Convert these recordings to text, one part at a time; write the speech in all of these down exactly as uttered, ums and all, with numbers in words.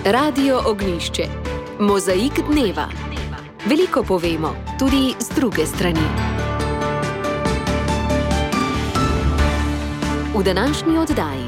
Radio Ognjišče. Mozaik dneva. Veliko povemo, tudi z druge strani. V današnji oddaji.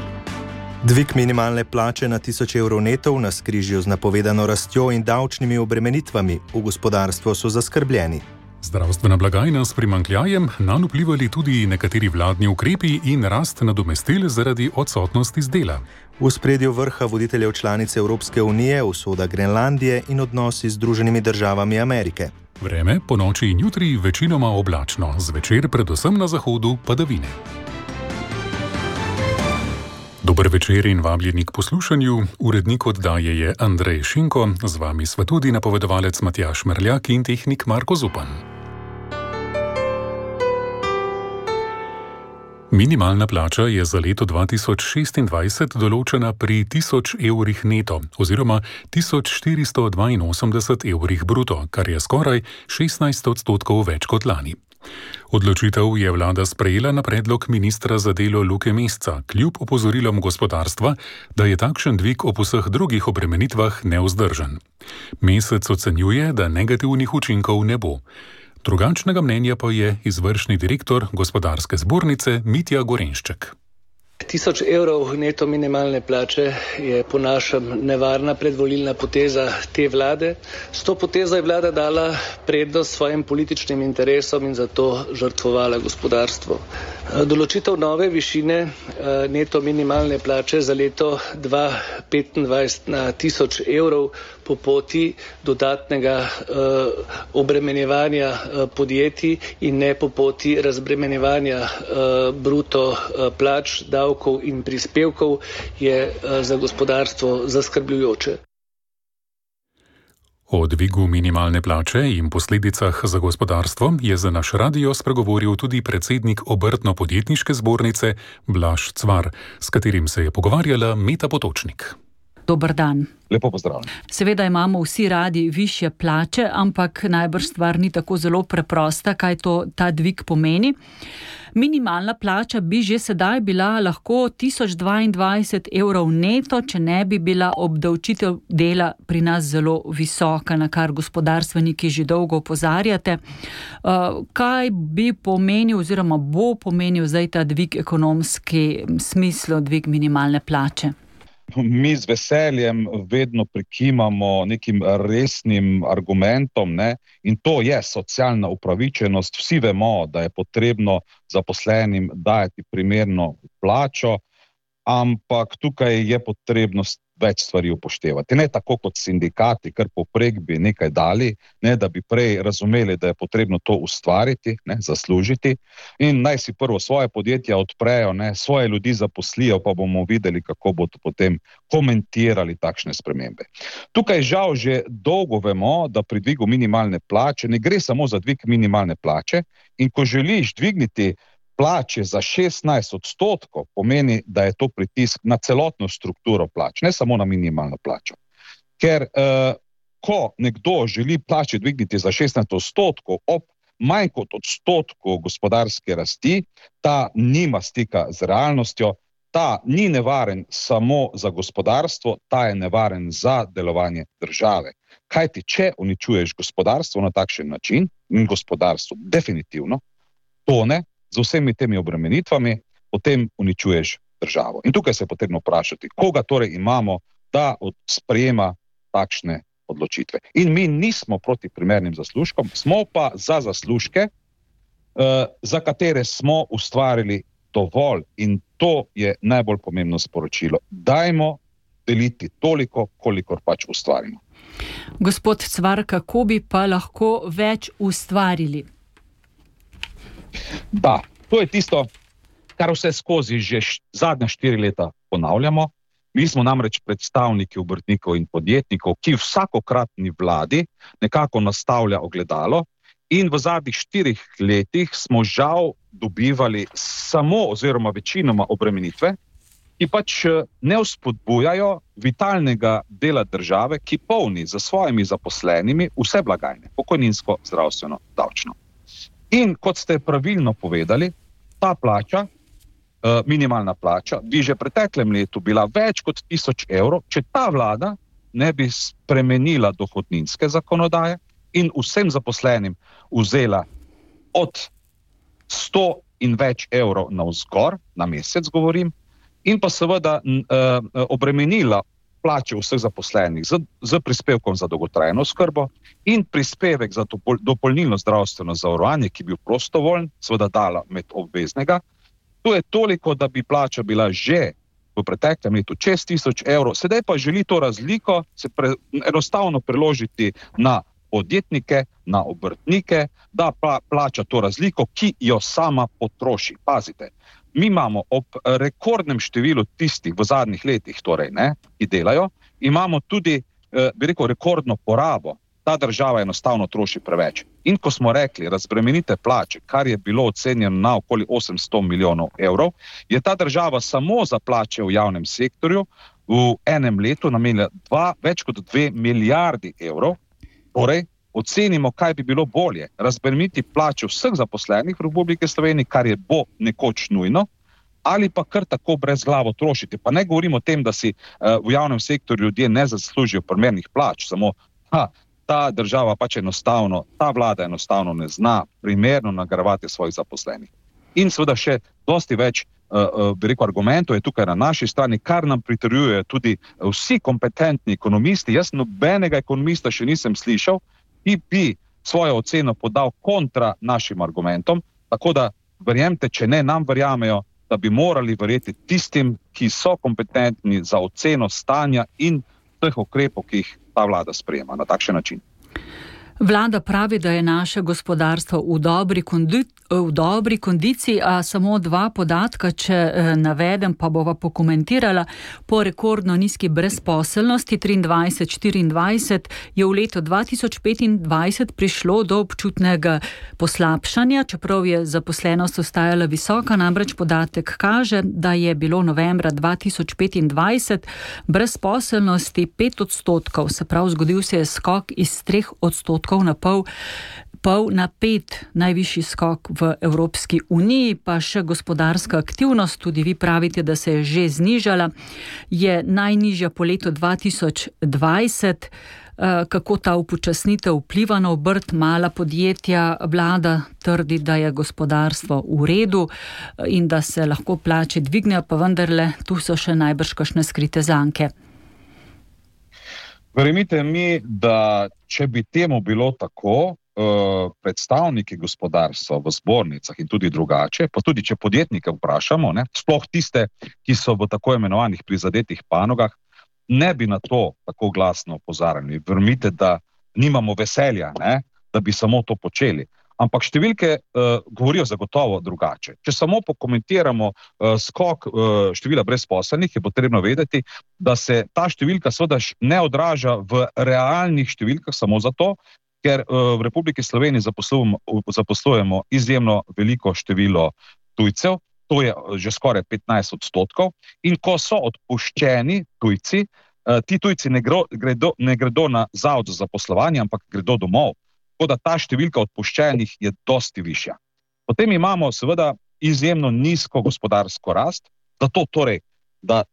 Dvig minimalne plače na tisoč evrov neto v navzkrižju z napovedano rastjo in davčnimi obremenitvami. V gospodarstvu so zaskrbljeni. Zdravstvena blagajna s primanjkljajem, nanj vplivali tudi nekateri vladni ukrepi in rast nadomestil zaradi odsotnosti z dela. V ospredju vrha voditeljev članice Evropske unije, usoda Grenlandije in odnosi z Združenimi državami Amerike. Vreme po noči in jutri večinoma oblačno, zvečer predvsem na zahodu padavine. Dober večer in vabljeni k poslušanju. Urednik oddaje je Andrej Šinko, z vami sva tudi napovedovalec Matjaž Merljak in tehnik Marko Zupan. Minimalna plača je za leto dva tisoč šestindvajset določena pri tisoč evrih neto oziroma tisoč štiristo dvainosemdeset evrih bruto, kar je skoraj šestnajst odstotkov več kot lani. Odločitev je vlada sprejela na predlog ministra za delo Luke Mesca, kljub opozorilom gospodarstva, da je takšen dvig ob vseh drugih obremenitvah nevzdržen. Mesec ocenjuje, da negativnih učinkov ne bo. Drugačnega mnenja pa je izvršni direktor gospodarske zbornice Mitja Gorenšček. Tisoč evrov neto minimalne plače je po našem nevarna predvolilna poteza te vlade. S to potezo je vlada dala prednost svojim političnim interesom in zato žrtvovala gospodarstvo. Določitev nove višine neto minimalne plače za leto dva tisoč petindvajset na tisoč evrov po poti dodatnega uh, obremenjevanja uh, podjetij in ne po poti razbremenjevanja uh, bruto uh, plač, davkov in prispevkov je uh, za gospodarstvo zaskrbljujoče. O dvigu minimalne plače in posledicah za gospodarstvo je za naš radio spregovoril tudi predsednik Obrtno-podjetniške zbornice Blaž Cvar, s katerim se je pogovarjala Meta Potočnik. Dober dan. Lepo pozdravljeni. Seveda imamo vsi radi višje plače, ampak najbrž stvar ni tako zelo preprosta, kaj to ta dvig pomeni. Minimalna plača bi že sedaj bila lahko tisoč dvaindvajset evrov neto, če ne bi bila obdavčitev dela pri nas zelo visoka, na kar gospodarstveniki že dolgo opozarjate. Kaj bi pomenil oziroma bo pomenil zdaj ta dvig ekonomski smislu, dvig minimalne plače? Mi z veseljem vedno prikimamo nekim resnim argumentom, ne? In to je socialna upravičenost. Vsi vemo, da je potrebno zaposlenim dajati primerno plačo, ampak tukaj je potrebno več stvari upoštevati. Ne tako kot sindikati, kar poprek bi nekaj dali, ne da bi prej razumeli, da je potrebno to ustvariti, ne, zaslužiti in naj si prvo svoje podjetja odprejo, ne, svoje ljudi zaposlijo, pa bomo videli, kako bodo potem komentirali takšne spremembe. Tukaj žal že dolgo vemo, da pri dvigu minimalne plače ne gre samo za dvig minimalne plače in ko želiš dvigniti plače za šestnajst odstotkov, pomeni, da je to pritisk na celotno strukturo plač, ne samo na minimalno plačo. Ker eh, ko nekdo želi plače dvigniti za šestnajst odstotkov ob manj kot odstotku gospodarske rasti, ta nima stika z realnostjo, ta ni nevaren samo za gospodarstvo, ta je nevaren za delovanje države. Kajti, če uničuješ gospodarstvo na takšen način, in gospodarstvo definitivno tone, z vsemi temi obremenitvami, potem uničuješ državo. In tukaj se je potrebno vprašati, koga torej imamo, da sprejema takšne odločitve. In mi nismo proti primernim zaslužkom, smo pa za zaslužke, eh, za katere smo ustvarili dovolj. In to je najbolj pomembno sporočilo. Dajmo deliti toliko, kolikor pač ustvarimo. Gospod Cvar, kako bi pa lahko več ustvarili? Da, to je tisto, kar vse skozi že zadnja štiri leta ponavljamo. Mi smo namreč predstavniki obrtnikov in podjetnikov, ki vsakokratni vladi nekako nastavlja ogledalo in v zadnjih štirih letih smo žal dobivali samo oziroma večinoma obremenitve, ki pač ne vzpodbujajo vitalnega dela države, ki polni za svojimi zaposlenimi vse blagajne, pokojninsko, zdravstveno, davčno. In kot ste pravilno povedali, ta plača, minimalna plača, bi že v preteklem letu bila več kot tisoč evrov, če ta vlada ne bi spremenila dohodninske zakonodaje in vsem zaposlenim vzela od sto in več evrov navzgor, na mesec govorim, in pa seveda uh, obremenila plače vseh zaposlenih z, z prispevkom za dolgotrajno oskrbo in prispevek za dopol, dopolnilno zdravstveno zavarovanje, ki je bil prostovoljen, seveda dala med obveznega. To je toliko, da bi plača bila že v preteklem letu čez tisoč evrov, sedaj pa želi to razliko se pre, enostavno preložiti na podjetnike, na obrtnike, da pa plača to razliko, ki jo sama potroši. Pazite, mi imamo ob rekordnem številu tistih v zadnjih letih, torej, ne, ki delajo, imamo tudi, eh, bi rekel, rekordno porabo. Ta država enostavno troši preveč. In ko smo rekli, razbremenite plače, kar je bilo ocenjeno na okoli osemsto milijonov evrov, je ta država samo za plače v javnem sektorju v enem letu namenila dva, več kot dve milijardi evrov. Torej, ocenimo, kaj bi bilo bolje. Razbremeniti plače vseh zaposlenih v Republike Slovenije, kar je bo nekoč nujno, ali pa kar tako brez glavo trošiti. Pa ne govorimo o tem, da si uh, v javnem sektorju ljudje ne zaslužijo primernih plač, samo ha, ta država pač enostavno, ta vlada enostavno ne zna primerno nagrajevati svojih zaposlenih. In seveda še dosti več uh, bi rekel, argumentov je tukaj na naši strani, kar nam pritrjujejo tudi vsi kompetentni ekonomisti. Jaz nobenega ekonomista še nisem slišal, ki bi svojo oceno podal kontra našim argumentom, tako da verjemite, če ne nam verjamejo, da bi morali verjeti tistim, ki so kompetentni za oceno stanja in teh ukrepov, ki jih ta vlada sprejema na takšen način. Vlada pravi, da je naše gospodarstvo v dobri, kondi, v dobri kondiciji, a samo dva podatka, če eh, navedem, pa bova pokomentirala. Po rekordno nizki brezposelnosti triindvajset štiriindvajset je v letu dva tisoč petindvajset prišlo do občutnega poslabšanja, čeprav je zaposlenost ostajala visoka, namreč podatek kaže, da je bilo novembra dva tisoč petindvajset brezposelnosti pet odstotkov, se pravi, zgodil se je skok iz treh odstotkov na pol, pol na pet, najvišji skok v Evropski uniji, pa še gospodarska aktivnost, tudi vi pravite, da se je že znižala, je najnižja po letu dva tisoč dvajset. Kako ta upočasnitev vpliva na obrt, mala podjetja? Vlada trdi, da je gospodarstvo v redu in da se lahko plače dvignejo, pa vendarle tu so še najbrž kakšne skrite zanke. Verjemite mi, da če bi temu bilo tako, predstavniki gospodarstva v zbornicah in tudi drugače, pa tudi če podjetnike vprašamo, ne, sploh tiste, ki so v tako imenovanih prizadetih panogah, ne bi na to tako glasno opozarjali. Verjemite, da nimamo veselja, ne, da bi samo to počeli. Ampak številke uh, govorijo zagotovo drugače. Če samo pokomentiramo uh, skok uh, števila brezposelnih, je potrebno vedeti, da se ta številka seveda ne odraža v realnih številkah samo zato, ker uh, v Republiki Sloveniji zaposlujemo, zaposlujemo izjemno veliko število tujcev, to je že skoraj petnajst odstotkov, in ko so odpuščeni tujci, uh, ti tujci ne, gro, gredo, ne gredo na zavod za zaposlovanje, ampak gredo domov. Tako da ta številka odpuščenih je dosti višja. Potem imamo seveda izjemno nizko gospodarsko rast, zato torej, da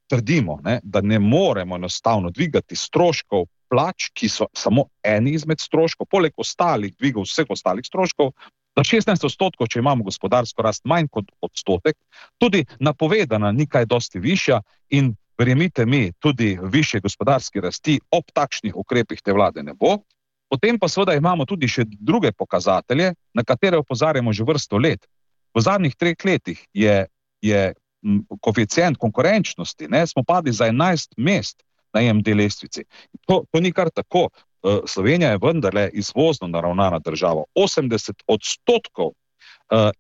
trdimo, ne, da ne moremo enostavno dvigati stroškov plač, ki so samo eni izmed stroškov, poleg ostalih dvigov vseh ostalih stroškov, za šestnajst odstotkov, če imamo gospodarsko rast manj kot odstotek, tudi napovedana ni kaj dosti višja in verjemite mi, tudi višje gospodarske rasti ob takšnih ukrepih te vlade ne bo. Potem pa seveda imamo tudi še druge pokazatelje, na katere opozarjamo že vrsto let. V zadnjih treh letih je, je koeficient konkurenčnosti, ne, smo padli za enajst mest na I M D lestvici. To, to ni kar tako. Slovenija je vendarle izvozno naravnana država. osemdeset odstotkov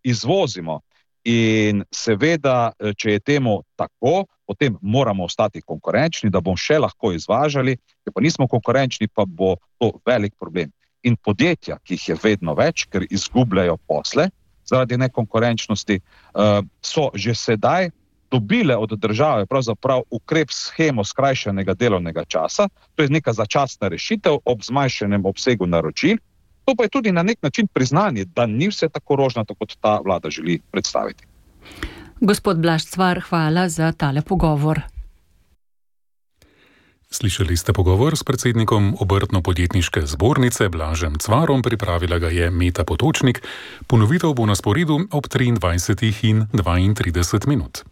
izvozimo in seveda, če je temu tako, potem moramo ostati konkurenčni, da bomo še lahko izvažali, če pa nismo konkurenčni, pa bo to velik problem. In podjetja, ki jih je vedno več, ker izgubljajo posle zaradi nekonkurenčnosti, so že sedaj dobile od države pravzaprav ukrep shemo skrajšanega delovnega časa, to je neka začasna rešitev ob zmanjšanem obsegu naročil. To pa je tudi na nek način priznanje, da ni vse tako rožnato, kot ta vlada želi predstaviti. Gospod Blaž Cvar, hvala za tale pogovor. Slišali ste pogovor s predsednikom Obrtno-podjetniške zbornice Blažem Cvarom, pripravila ga je Meta Potočnik. Ponovitev bo na sporedu ob triindvajsetih in dvaintrideset minut.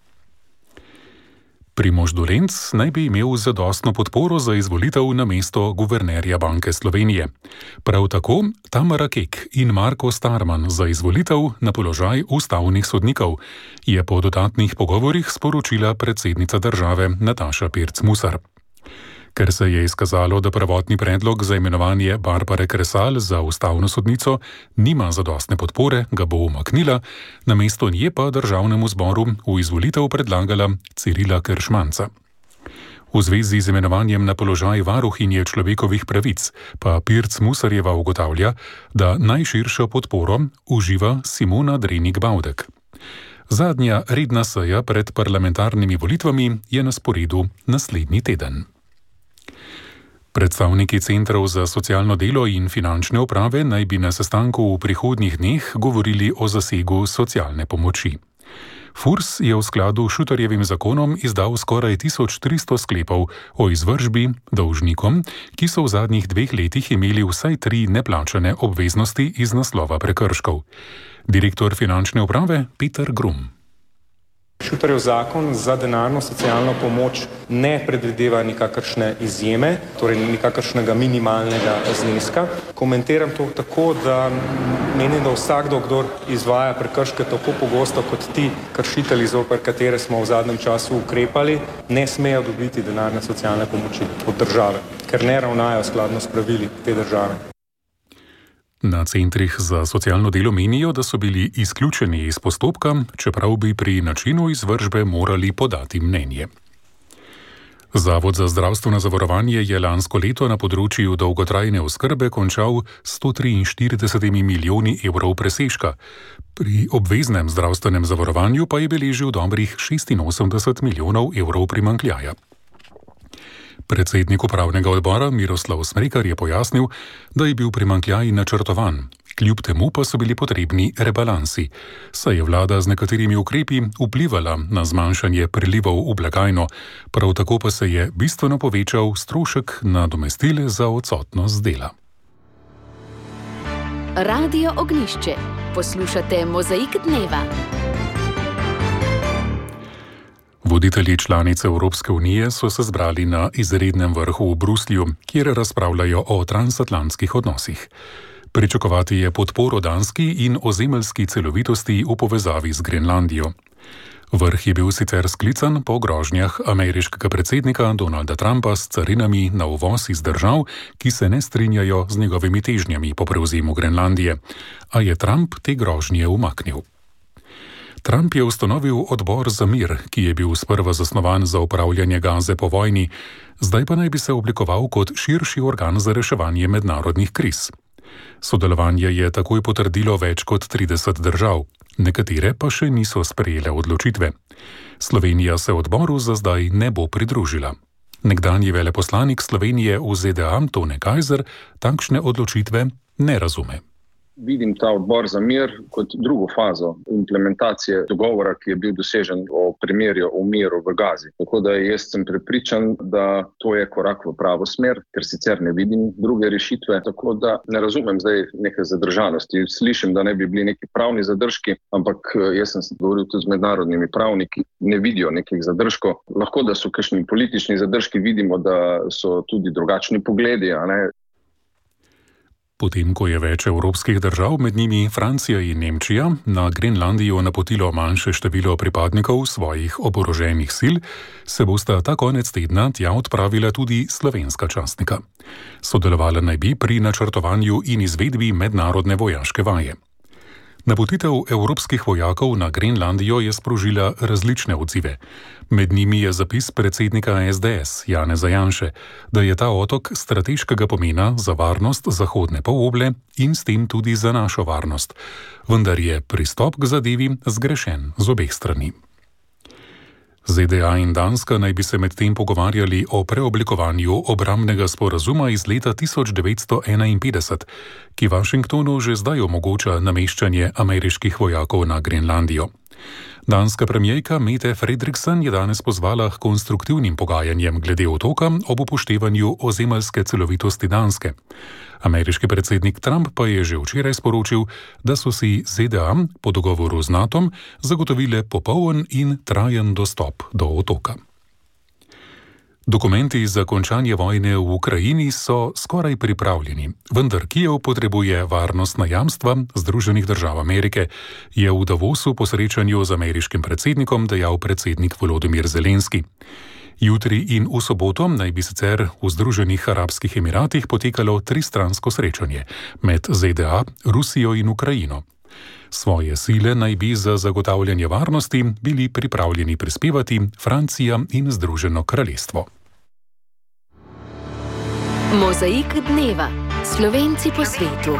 Primož Dolenc naj bi imel zadostno podporo za izvolitev na mesto guvernerja Banke Slovenije. Prav tako Tamara Kek in Marko Starman za izvolitev na položaj ustavnih sodnikov, je po dodatnih pogovorih sporočila predsednica države Nataša Pirc Musar. Ker se je izkazalo, da prvotni predlog za imenovanje Barbare Kresal za ustavno sodnico nima zadostne podpore, ga bo umaknila, namesto nje pa državnemu zboru v izvolitev predlagala Cirila Keršmanca. V zvezi z imenovanjem na položaj varuhinje človekovih pravic pa Pirc Musarjeva ugotavlja, da najširšo podporo uživa Simona Drenik Bavdek. Zadnja redna seja pred parlamentarnimi volitvami je na sporedu naslednji teden. Predstavniki centrov za socialno delo in finančne uprave naj bi na sestanku v prihodnjih dneh govorili o zasegu socialne pomoči. Furs je v skladu s Šutarjevim zakonom izdal skoraj tisoč tristo sklepov o izvršbi dolžnikom, ki so v zadnjih dveh letih imeli vsaj tri neplačane obveznosti iz naslova prekrškov. Direktor finančne uprave Peter Grum. Šutarjev zakon za denarno socialno pomoč ne predvideva nikakršne izjeme, torej nikakršnega minimalnega zneska. Komentiram to tako, da menim, da vsakdo, kdor izvaja prekrške tako pogosto kot ti kršitelji, zoper katere smo v zadnjem času ukrepali, ne smejo dobiti denarne socialne pomoči od države, ker ne ravnajo skladno s pravili te države. Na centrih za socialno delo menijo, da so bili izključeni iz postopka, čeprav bi pri načinu izvršbe morali podati mnenje. Zavod za zdravstveno zavarovanje je lansko leto na področju dolgotrajne oskrbe končal s sto triinštiridesetimi milijoni evrov presežka. Pri obveznem zdravstvenem zavarovanju pa je beležil dobrih šestinosemdeset milijonov evrov primanjkljaja. Predsednik upravnega odbora Miroslav Smrekar je pojasnil, da je bil primanjkljaj načrtovan, kljub temu pa so bili potrebni rebalansi, saj je vlada z nekaterimi ukrepi vplivala na zmanjšanje prilivov v blagajno, prav tako pa se je bistveno povečal strošek nadomestil za odsotnost dela. Radio Ognjišče. Poslušate Mozaik dneva. Voditelji članice Evropske unije so se zbrali na izrednem vrhu v Bruslju, kjer razpravljajo o transatlantskih odnosih. Pričakovati je podporo danski in ozemeljski celovitosti v povezavi z Grenlandijo. Vrh je bil sicer sklican po grožnjah ameriškega predsednika Donalda Trumpa s carinami na uvoz iz držav, ki se ne strinjajo z njegovimi težnjami po prevzemu Grenlandije, a je Trump te grožnje umaknil. Trump je ustanovil odbor za mir, ki je bil sprva zasnovan za upravljanje Gaze po vojni, zdaj pa naj bi se oblikoval kot širši organ za reševanje mednarodnih kriz. Sodelovanje je takoj potrdilo več kot trideset držav, nekatere pa še niso sprejele odločitve. Slovenija se odboru za zdaj ne bo pridružila. Nekdanji veleposlanik Slovenije v Z D A Tone Kajzer takšne odločitve ne razume. Vidim ta odbor za mir kot drugo fazo implementacije dogovora, ki je bil dosežen o premirju o miru v Gazi. Tako da jaz sem prepričan, da to je korak v pravo smer, ker sicer ne vidim druge rešitve. Tako da ne razumem zdaj neke zadržanosti. Slišim, da ne bi bili neki pravni zadržki, ampak jaz sem govoril tudi z mednarodnimi pravniki, ne vidijo nekih zadržkov. Lahko, da so kakšni politični zadržki, vidimo, da so tudi drugačni pogledi, a ne? Potem, ko je več evropskih držav, med njimi Francija in Nemčija, na Grenlandijo napotilo manjše število pripadnikov svojih oboroženih sil, se bosta ta konec tedna tja odpravila tudi slovenska častnika. Sodelovala naj bi pri načrtovanju in izvedbi mednarodne vojaške vaje. Napotitev evropskih vojakov na Grenlandijo je sprožila različne odzive. Med njimi je zapis predsednika S D S Janeza Janše, da je ta otok strateškega pomena za varnost zahodne poloble in s tem tudi za našo varnost. Vendar je pristop k zadevi zgrešen z obeh strani. Z D A in Danska naj bi se medtem pogovarjali o preoblikovanju obrambnega sporazuma iz leta tisoč devetsto enainpetdeset, ki Washingtonu že zdaj omogoča nameščanje ameriških vojakov na Grenlandijo. Danska premijerka Mette Frederiksen je danes pozvala k konstruktivnim pogajanjem glede otoka ob upoštevanju ozemeljske celovitosti Danske. Ameriški predsednik Trump pa je že včeraj sporočil, da so si Z D A po dogovoru z Natom zagotovile popoln in trajen dostop do otoka. Dokumenti za končanje vojne v Ukrajini so skoraj pripravljeni, vendar Kijev potrebuje varnostna jamstva Združenih držav Amerike, je v Davosu po srečanju z ameriškim predsednikom dejal predsednik Volodymyr Zelenski. Jutri in v soboto naj bi sicer v Združenih arabskih emiratih potekalo tristransko srečanje med Z D A, Rusijo in Ukrajino. Svoje sile naj bi za zagotavljanje varnosti bili pripravljeni prispevati Francija in Združeno kraljestvo. Mozaik dneva. Slovenci po svetu.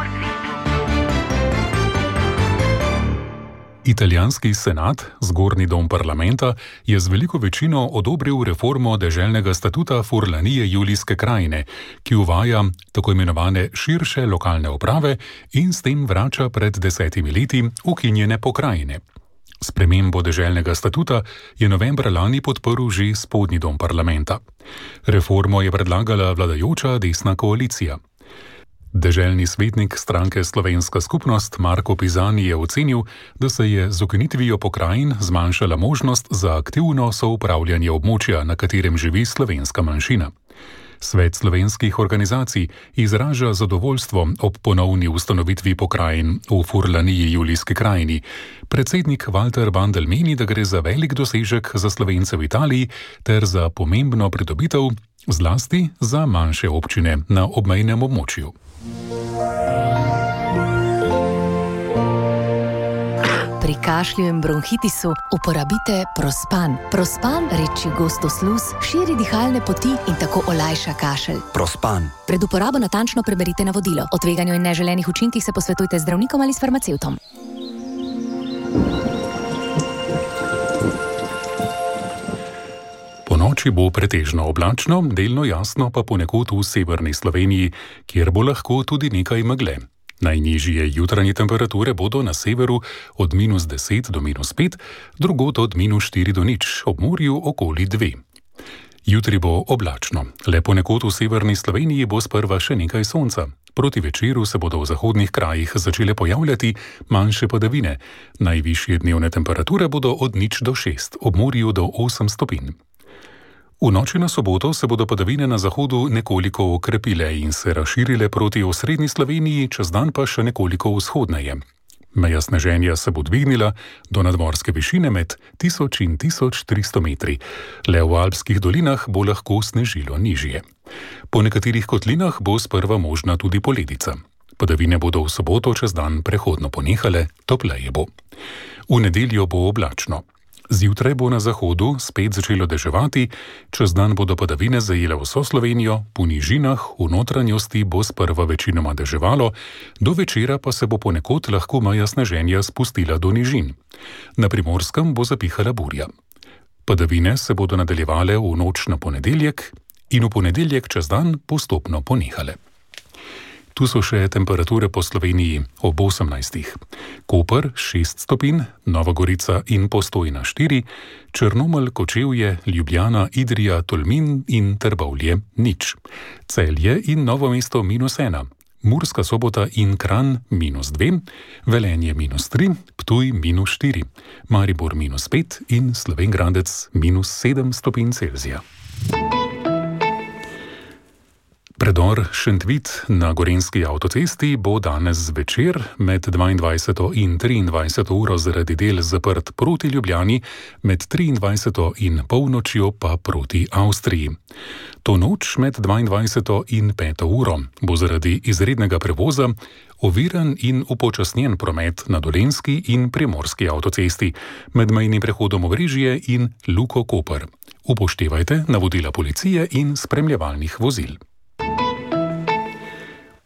Italijanski senat, zgornji dom parlamenta, je z veliko večino odobril reformo deželnega statuta Furlanije Julijske krajine, ki uvaja tako imenovane širše lokalne uprave in s tem vrača pred desetimi leti ukinjene pokrajine. Spremembo deželnega statuta je novembra lani podprl že spodnji dom parlamenta. Reformo je predlagala vladajoča desna koalicija. Deželni svetnik stranke Slovenska skupnost Marko Pizani je ocenil, da se je z ukinitvijo pokrajin zmanjšala možnost za aktivno soupravljanje območja, na katerem živi slovenska manjšina. Svet slovenskih organizacij izraža zadovoljstvo ob ponovni ustanovitvi pokrajin v Furlaniji Julijski krajini. Predsednik Walter Bandl meni, da gre za velik dosežek za Slovence v Italiji ter za pomembno pridobitev, zlasti za manjše občine na obmejnem območju. Pri kašlju in bronhitisu uporabite Prospan. Prospan reči gostosluz, širi dihalne poti in tako olajša kašelj. Prospan. Pred uporabo natančno preberite navodilo. O tveganju in neželenih učinkih se posvetujte z zdravnikom ali s farmacevtom. Po noči bo pretežno oblačno, delno jasno pa ponekod v severni Sloveniji, kjer bo lahko tudi nekaj megle. Najnižje jutranje temperature bodo na severu od minus deset do minus pet, drugod od minus štiri do nič, ob morju okoli dve. Jutri bo oblačno, le ponekod v severni Sloveniji bo sprva še nekaj sonca. Proti večeru se bodo v zahodnih krajih začele pojavljati manjše padavine. Najvišje dnevne temperature bodo od nič do šest, ob morju do osem stopinj. V noči na soboto se bodo padavine na zahodu nekoliko okrepile in se razširile proti osrednji Sloveniji, čez dan pa še nekoliko vzhodneje. Meja sneženja se bo dvignila do nadmorske višine med tisoč in tisoč tristo metri. Le v alpskih dolinah bo lahko snežilo nižje. Po nekaterih kotlinah bo sprva možna tudi poledica. Padavine bodo v soboto čez dan prehodno ponehale, topleje bo. V nedeljo bo oblačno. Zjutraj bo na zahodu spet začelo deževati, čez dan bodo padavine zajele vso Slovenijo, po nižinah v notranjosti bo sprva večinoma deževalo, do večera pa se bo ponekod lahko meja sneženja spustila do nižin. Na Primorskem bo zapihala burja. Padavine se bodo nadaljevale v noč na ponedeljek in v ponedeljek čez dan postopno ponehale. Tu so še temperature po Sloveniji ob osemnajstih. Koper šest stopinj, Nova Gorica in Postojna štiri, Črnomelj, Kočevje, Ljubljana, Idrija, Tolmin in Trbovlje nič. Celje in Novo mesto minus ena, Murska Sobota in Kranj minus dve, Velenje minus tri, Ptuj minus štiri, Maribor minus pet in Slovenj Gradec minus sedem stopinj Celzija. Predor Šentvid na Gorenjski avtocesti bo danes zvečer med dvaindvajseto in triindvajseto uro zaradi del zaprt proti Ljubljani, med triindvajseto in polnočjo pa proti Avstriji. To noč med dvaindvajseto in peto uro bo zaradi izrednega prevoza oviran in upočasnjen promet na Dolenjski in Primorski avtocesti med mejnim prehodom Obrežje in Luko Koper. Upoštevajte navodila policije in spremljevalnih vozil.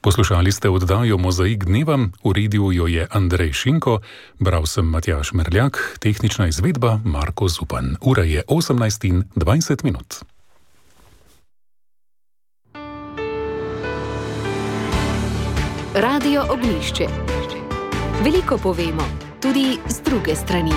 Poslušali ste oddajo Mozaik dneva, uredil jo je Andrej Šinko, bral sem Matjaž Merljak, tehnična izvedba Marko Zupan. Ura je osemnajst in dvajset minut. Radio Ognjišče. Veliko povemo, tudi z druge strani.